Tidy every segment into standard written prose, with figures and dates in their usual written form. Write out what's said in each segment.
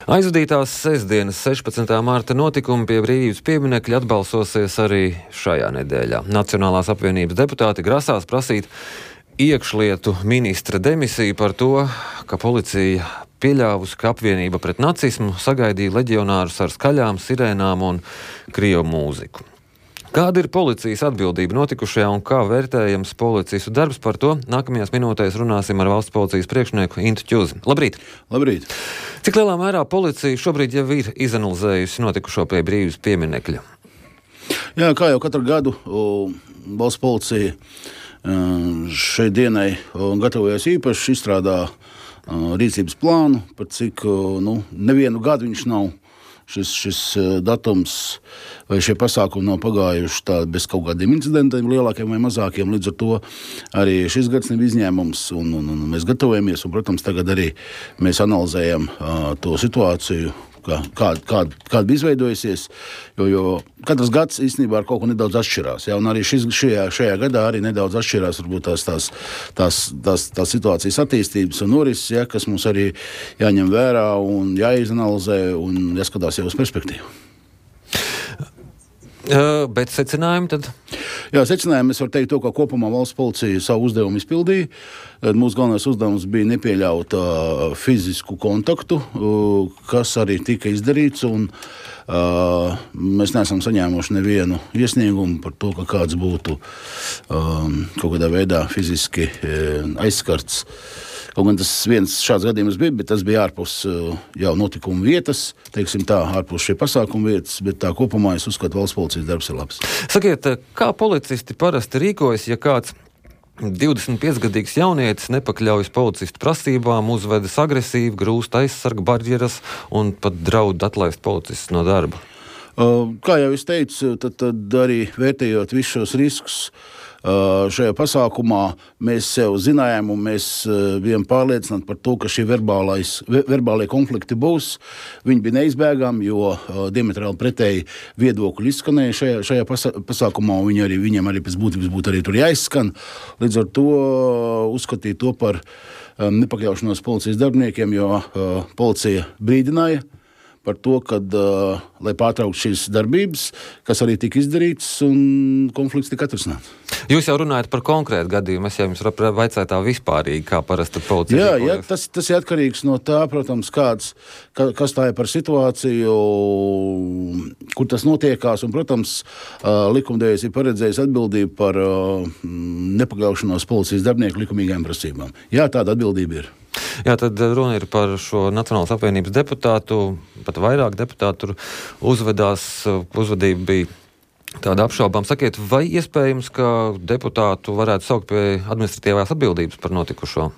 Aizvadītās sestdienas 16. mārta notikumi pie Brīvības pieminekļa atbalsosies arī šajā nedēļā. Nacionālās apvienības deputāti grasās prasīt iekšlietu ministra demisiju par to, ka policija pieļāvusi, ka apvienība pret nacismu sagaidīja leģionārus ar skaļām sirēnām un krievu mūziku. Kāda ir policijas atbildība notikušajā un kā vērtējams policistu darbs, par to nākamajās minūtēs runāsim ar valsts policijas priekšnieku Intu Ķuzi. Labrīt! Labrīt! Cik lielā mērā policija šobrīd jau ir izanalizējusi notikušo pie Brīvības pieminekļa? Jā, kā jau katru gadu valsts policija šai dienai gatavojas īpaši, izstrādā rīcības plānu, par cik nevienu gadu viņš nav. Šis datums vai šie pasākumi nav pagājuši tā bez kaut kādiem incidentiem, lielākiem vai mazākiem. Līdz ar to arī šis gads nav izņēmums, un mēs gatavojamies. Un, protams, tagad arī mēs analizējam to situāciju, kāda bija izveidojusies, jo katrs gads īstenībā ar kaut ko nedaudz atšķirās. Ja? Un arī šajā gadā arī nedaudz atšķirās varbūt tās situācijas attīstības un norises, ja, kas mums arī jāņem vērā un jāizanalizē un jāskatās jau uz perspektīvu. Bet secinājumi tad? Jā, secinājumi es varu teikt to, ka kopumā valsts policija savu uzdevumu izpildīja. Mūsu galvenais uzdevums bija nepieļaut fizisku kontaktu, kas arī tika izdarīts, un mēs neesam saņēmuši nevienu iesniegumu par to, ka kāds būtu kaut kādā veidā fiziski aizskarts. Kaut gan tas viens šāds gadījums bija, bet tas bija ārpus jau notikuma vietas, teiksim tā, ārpus šie pasākuma vietas, bet tā kopumā es uzskatu, valsts policijas darbs ir labs. Sakiet, kā policisti parasti rīkojas, ja kāds 25-gadīgs jaunietis nepakļaujas policistu prasībām, uzvedas agresīvi, grūst aizsarga barjeras un pat draud atlaist policistus no darba? Kā jau es teicu, tad arī vērtējot visus šos riskus, šajā pasākumā mēs sev zinājām un mēs bijām pārliecināti par to, ka šie verbālie konflikti būs. Viņi bija neizbēgami, jo diametrāli pretēji viedokļi izskanēja šajā pasākumā, un viņiem arī pēc būtības būtu arī tur jāizskan. Līdz ar to uzskatīt to par nepakļaušanos policijas darbiniekiem, jo policija brīdināja par to, kad, lai pārtrauktu šīs darbības, kas arī tika izdarīts un konflikts tika atrisināts. Jūs jau runājat par konkrētu gadījumu, es jau jums vaicāju tā vispārīgi, kā parasti policija. Jā, tas ir atkarīgs no tā, protams, kas tā ir par situāciju, kur tas notiekās, un, protams, likumdevējs ir paredzējis atbildību par nepakļaušanos policijas darbinieku likumīgajām prasībām. Jā, tāda atbildība ir. Jā, tad runa ir par šo Nacionālās apvienības deputātu, pat vairāk deputātu uzvedība bija tāda apšaubām. Sakiet, vai iespējams, ka deputātu varētu saukt pie administratīvās atbildības par notikušo?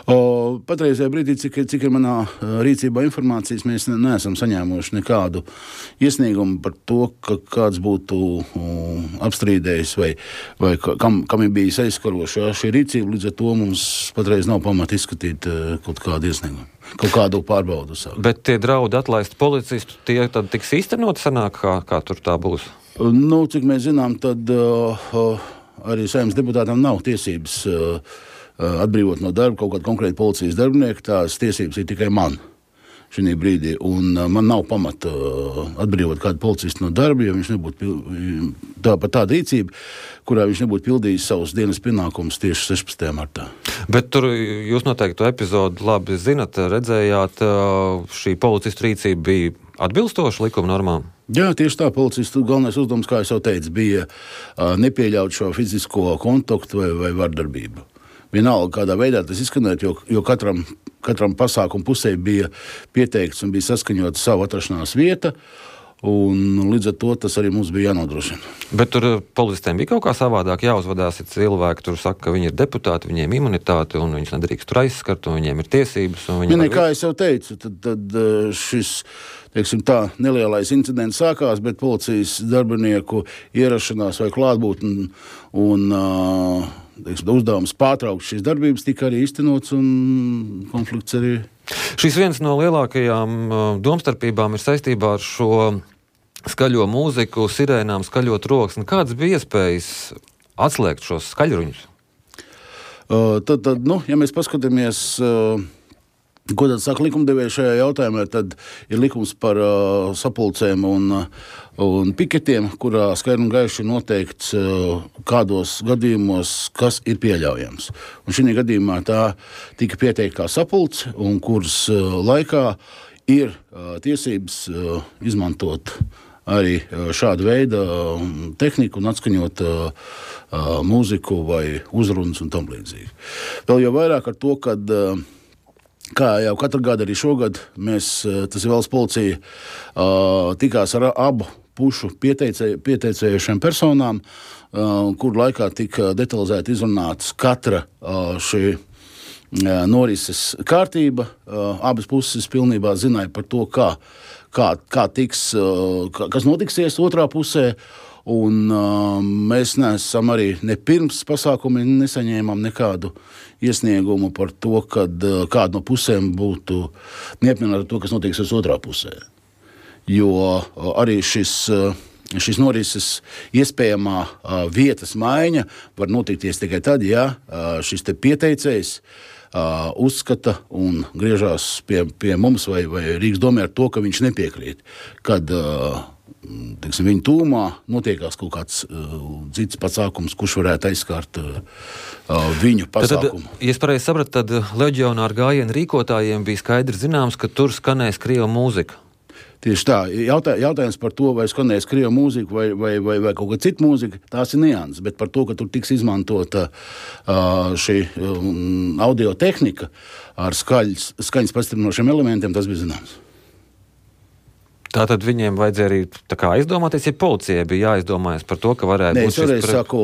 Patreizajā brīdī, cik ir manā rīcībā informācijas, mēs neesam saņēmuši nekādu iesniegumu par to, ka kāds būtu apstrīdējis vai kam ir bijis aizskaroša šī rīcība. Līdz ar to mums patreiz nav pamata izskatīt kaut kādu iesniegumu, kaut kādu pārbaudu. Bet tie draudi atlaist policistu, tie tad tiks īstenot sanāk, kā tur tā būs? Cik mēs zinām, tad arī Saeimas deputātam nav tiesības atbrīvot no darba kaut kādu konkrētu policijas darbinieku. Tās tiesības ir tikai man šī brīdī, un man nav pamata atbrīvot kādu policistu no darba, ja viņš nebūtu par tādu rīcību, kurā viņš nebūtu pildījis savus dienas pienākumus tieši 16. martā. Bet tur jūs noteikti to epizodu labi zinat, redzējāt, šī policistu rīcība bija atbilstoša likuma normām? Jā, tieši tā, policistu galvenais uzdevums, kā es jau teicu, bija nepieļaut šo fizisko kontaktu vai vardarbību. Vienalga, kādā veidā tas izskanēt, jo katram pasākumu pusē bija pieteikts un bija saskaņota savu atrašanās vieta, un līdz ar to tas arī mums bija jānodrošina. Bet tur policistiem bija kaut kā savādāk jāuzvedās, ja cilvēki tur saka, ka viņi ir deputāti, viņiem imunitāte, un viņus nedrīkst tur aizskart, un viņiem ir tiesības. Kā es jau teicu, tad šis, teiksim tā, nelielais incidents sākās, bet policijas darbinieku ierašanās vai klātbūtne un uzdevums pārtraukt šīs darbības tika arī īstenots un konflikts arī. Šis viens no lielākajām domstarpībām ir saistībā ar šo skaļo mūziku, sirēnām, skaļo troksni. Kādas bija iespējas atslēgt šos skaļruņus? Ja mēs paskatāmies Ko tad saka likumdevēji šajā jautājumā? Tad ir likums par sapulcēm un piketiem, kurā skaidri un gaiši noteikts, kādos gadījumos kas ir pieļaujams. Un šī gadījumā tā tika pieteikta kā sapulce, un kuras laikā ir tiesības izmantot arī šādu veidu tehniku un atskaņot mūziku vai uzrunas un tam līdzīgi. Vēl jau vairāk ar to, kad kā jau katru gadu arī šogad tas ir valsts policija, tikās ar abu pušu pieteicējušiem personām, kur laikā tika detalizēti izrunātas katra šī norises kārtība. Abas puses pilnībā zināja par to, kā tiks, kas notiksies otrā pusē. Un mēs neesam arī ne pirms pasākumi nesaņēmām nekādu iesniegumu par to, kad kāda no pusēm būtu neapmierināta ar to, kas notiksies otrā pusē. Jo arī šis norises iespējamā vietas maiņa var notikties tikai tad, ja šis te pieteicējs uzskata un griežās pie mums vai Rīgas domē ar to, ka viņš nepiekrīt, kad viņa tūmā notiekās kaut kāds cits pasākums, kurš varētu aizskārt viņu pasākumu. Tad, ja es pareizi sapratu, tad leģionāru gājienu rīkotājiem bija skaidri zināms, ka tur skanēs krievu mūzika. Tieši tā. Jautājums par to, vai skanēs krievu mūzika vai kaut kāda cita mūzika, tās ir nianses, bet par to, ka tur tiks izmantota šī audio tehnika ar skaņas pastiprinošiem elementiem, tas bija zināms. Tātad viņiem vajadzēja arī tā kā aizdomāties, ja policijai bija jāizdomājas par to, ka varētu būt šis... Saku,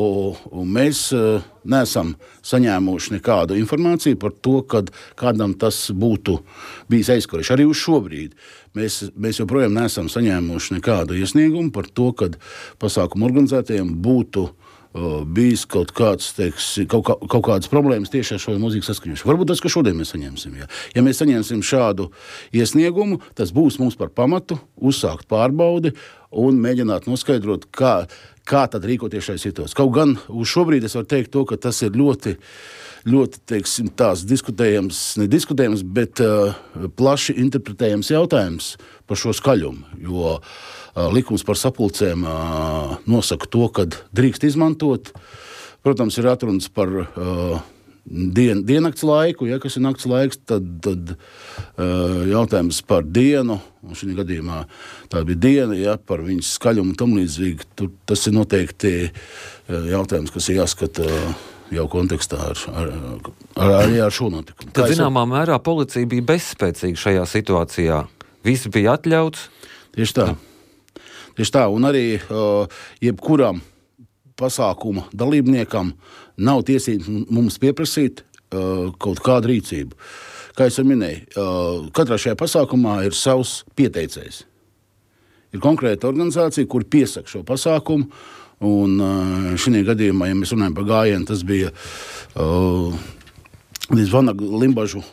mēs neesam saņēmuši nekādu informāciju par to, kad kādam tas būtu bijis aizskarš. Arī uz šobrīd mēs joprojām neesam saņēmuši nekādu iesniegumu par to, kad pasākumu organizētajiem būtu bijis kaut kādas problēmas tieši ar šo mūzikas saskaņošanu. Varbūt tas, ka šodien mēs saņemsim. Ja mēs saņemsim šādu iesniegumu, tas būs mums par pamatu uzsākt pārbaudi un mēģināt noskaidrot, kā tad rīkoties šajā situācijā. Kaut gan uz šobrīd es varu teikt to, ka tas ir ļoti, teiksim, tās nediskutējams, bet plaši interpretējams jautājums par šo skaļumu, jo likums par sapulcēm nosaka to, kad drīkst izmantot. Protams, ir atrunas par diennakts laiku, kas ir nakts laiks, tad jautājums par dienu, un šī gadījumā tā bija diena, par viņas skaļumu un tam līdzīgi. Tas ir noteikti jautājums, kas ir jāskata jau kontekstā ar šo notikumu. Tad zināmā mērā policija bija bezspēcīga šajā situācijā. Viss bija atļauts? Tieši tā, un arī jebkuram pasākuma dalībniekam nav tiesības mums pieprasīt kaut kādu rīcību. Kā es jau minēju, katrā šajā pasākumā ir savs pieteicējs. Ir konkrēta organizācija, kur piesaka šo pasākumu, un šī gadījumā, ja mēs runājam par gājienu, tas bija Vanagu Limbažu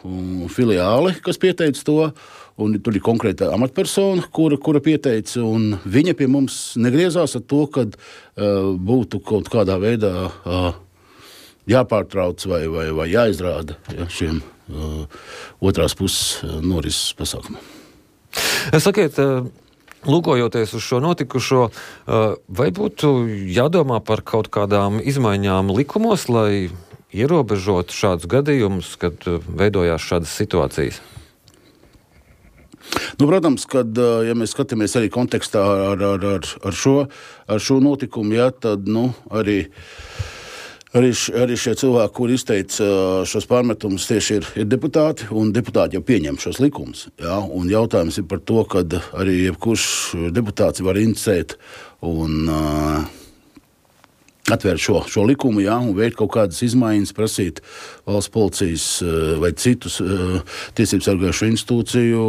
filiāli, kas pieteica to, un tur ir konkrēta amatpersona, kura pieteica, un viņa pie mums negriezās ar to, kad būtu kaut kādā veidā jāpārtrauc vai jāizrāda šiem otrās puses norises pasākumiem. Sakiet, lūkojoties uz šo notikušo, vai būtu jādomā par kaut kādām izmaiņām likumos, lai ierobežot šādus gadījumus, kad veidojās šādas situācijas? Protams, kad, ja mēs skatāmies arī kontekstā ar šo notikumu, tad arī šie cilvēki, kuri izteica šos pārmetumus, tieši ir deputāti, un deputāti jau pieņem šos likumus. Un jautājums ir par to, kad arī jebkurš deputāts var inicēt un atvērt šo likumu, un veikt kaut kādas izmaiņas, prasīt valsts policijas vai citus tiesību sargājušo institūciju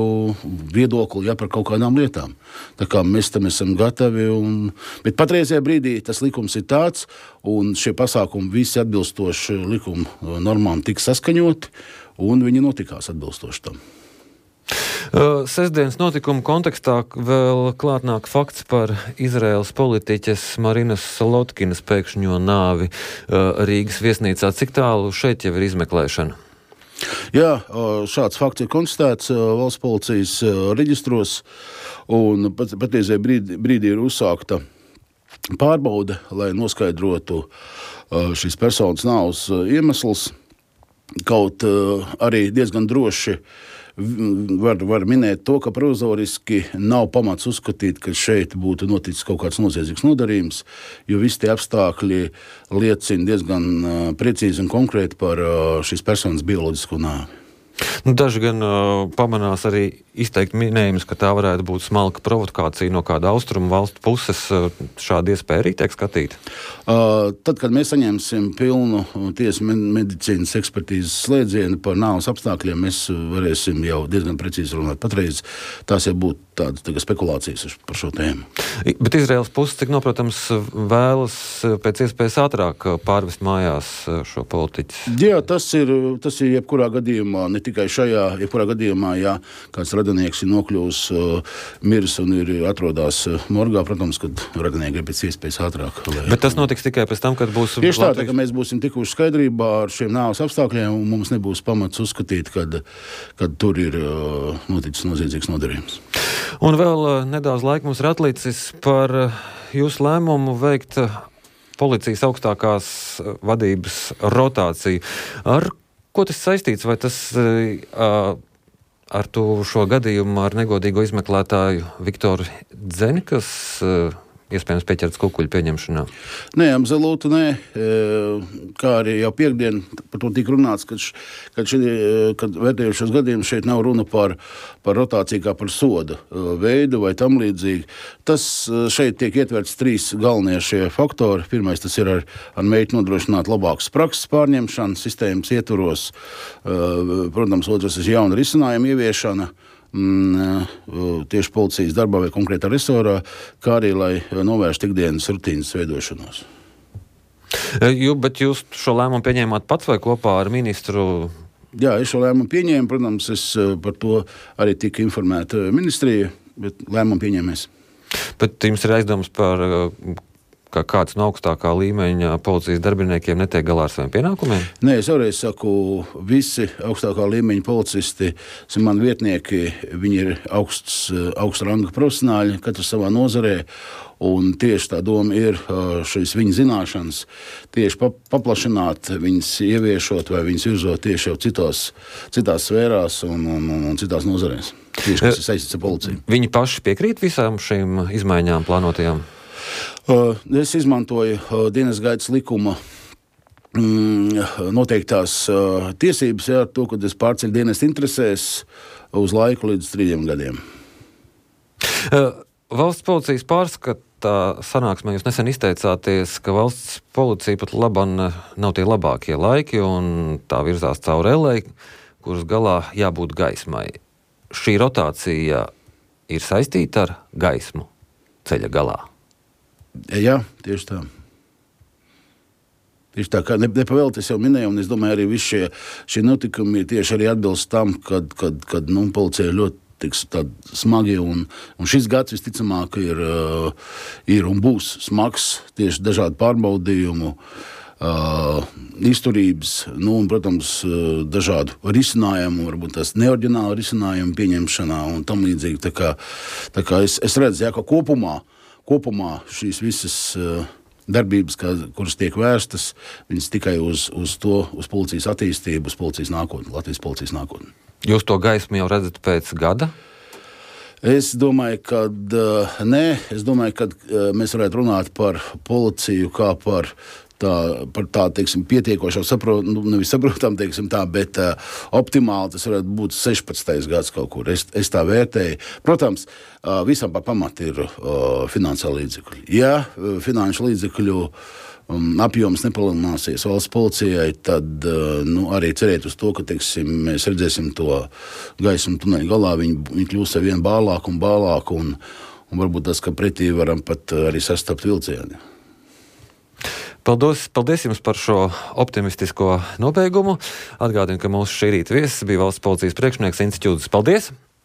viedokli par kaut kādām lietām. Tā kā mēs tam esam gatavi. Bet patreizajā brīdī tas likums ir tāds, un šie pasākumi visi atbilstoši likuma normām tika saskaņoti, un viņi notikās atbilstoši tam. Sestdienas notikuma kontekstā vēl klātnāk fakts par Izraēlas politiķes Marinas Solotkinas pēkšņo nāvi Rīgas viesnīcā. Cik tālu šeit jau ir izmeklēšana? Jā, šāds fakts ir konstatēts valsts policijas reģistros, un patiesībā brīdī ir uzsākta pārbaude, lai noskaidrotu šīs personas nāves iemesls. Kaut arī diezgan droši var minēt to, ka provizoriski nav pamats uzskatīt, ka šeit būtu noticis kaut kāds noziedzīgs nodarījums, jo visi tie apstākļi liecina diezgan precīzi un konkrēti par šīs personas bioloģisko nāvi. Daži gan pamanās arī izteikt minējumus, ka tā varētu būt smalka provokācija no kāda austrumu valstu puses. Šāda iespēja arī tiek skatīta? Tad, kad mēs saņemsim pilnu tiesu medicīnas ekspertīzes slēdzienu par nāves apstākļiem, mēs varēsim jau diezgan precīzi runāt. Patreiz tās jau būtu tādas spekulācijas par šo tēmu. Bet Izraēlas puses, cik noprotams, vēlas pēc iespējas ātrāk pārvest mājās šo politiķu? Jā, tas ir jebkurā gadījumā, ne tikai šajā, jebkurā gadījumā, ja kāds radinieks ir nokļuvis miris un ir atrodās morgā, protams, kad radinieki ir pēc iespējas ātrāk. Bet tas notiks tikai pēc tam, kad būs... Tieši tā, ka mēs būsim tikuši skaidrībā ar šiem nāves apstākļiem, un mums nebūs pamats uzskatīt, kad tur ir noticis noziedzīgs nodarījums. Un vēl nedaudz laika mums ir atlicis par jūsu lēmumu veikt policijas augstākās vadības rotāciju. Ar ko tas saistīts? Vai tas ar šo gadījumu ar negodīgo izmeklētāju Viktoru Dzeni, kas iespējams pieķerts kukuļu pieņemšanā? Nē, absolūti nē. Kā arī jau piekdien par to tika runāts, kad vērtējot šos gadījumus, šeit nav runa par rotāciju kā par soda veidu vai tam līdzīgi. Tas šeit tiek ietverts 3 galvenie šie faktori. Pirmais, tas ir ar mērķi nodrošināt labākas prakses pārņemšanu sistēmas ietvaros. Protams, otrs ir jauna risinājuma ieviešana tieši policijas darbā vai konkrētā resorā, kā arī, lai novērstu ikdienas rutīnas veidošanos. Bet jūs šo lēmumu pieņēmāt pats vai kopā ar ministru? Jā, es šo lēmumu pieņēmu. Protams, es par to arī tika informēta ministrija, bet lēmumu pieņēmēs. Bet jums ir aizdoms par, ka kāds no augstākā līmeņa policijas darbiniekiem netiek galā ar saviem pienākumiem? Nē, es vēlreiz saku, visi augstākā līmeņa policisti, mani vietnieki, viņi ir augsta ranga profesionāļi, katrs savā nozarē, un tieši tā doma ir šīs viņa zināšanas tieši paplašināt, viņas ieviešot vai viņas virzot tieši jau citās sfērās un citās nozarēs. Tieši, kas ir saistīts ar policiju. Viņi paši piekrīt visām šīm izmaiņām plānotajām? Es izmantoju dienas gaitas likuma noteiktās tiesības ar to, ka es pārceļu dienas interesēs uz laiku līdz 3 gadiem. Valsts policijas pārskatā sanāksmē jūs nesen izteicāties, ka valsts policija pat labam nav tie labākie laiki un tā virzās cauri ellei, kuras galā jābūt gaismai. Šī rotācija ir saistīta ar gaismu ceļa galā? Jā, tieši tā. Tieši tā, kā nepavēlti es jau minēju, un es domāju, arī visi šie notikumi tieši arī atbilst tam, kad policija ir ļoti smagi, un šis gads visticamāk ir un būs smags tieši dažādu pārbaudījumu, izturības, un, protams, dažādu risinājumu, varbūt tās neoriģinālu risinājumu pieņemšanā un tam līdzīgi. Tā kā es redzu, jā, ka kopumā šīs visas darbības, kuras tiek vērstas, viņas tikai uz policijas attīstību, uz policijas nākotni, Latvijas policijas nākotni. Jūs to gaismu jau redzat pēc gada? Es domāju, ka nē. Es domāju, ka mēs varētu runāt par policiju kā par tādu, teiksim, pietiekošo nevis saprotam, teiksim tā, bet optimāli tas varētu būt 16. gads kaut kur. Es tā vērtēju. Protams, visam par pamatu ir finansiāli līdzekļi. Ja finanšu līdzekļu apjoms nepalielināsies valsts policijai, tad arī cerēt uz to, ka, teiksim, mēs redzēsim to gaismu tuneļa galā, viņi kļūs ar vien bālāku un varbūt tas, ka pretī varam pat arī sastapt vilcieni. Paldies jums par šo optimistisko nobeigumu. Atgādinu, ka mūsu šī rīta viesis bija valsts policijas priekšnieks Incis Čudzis. Paldies!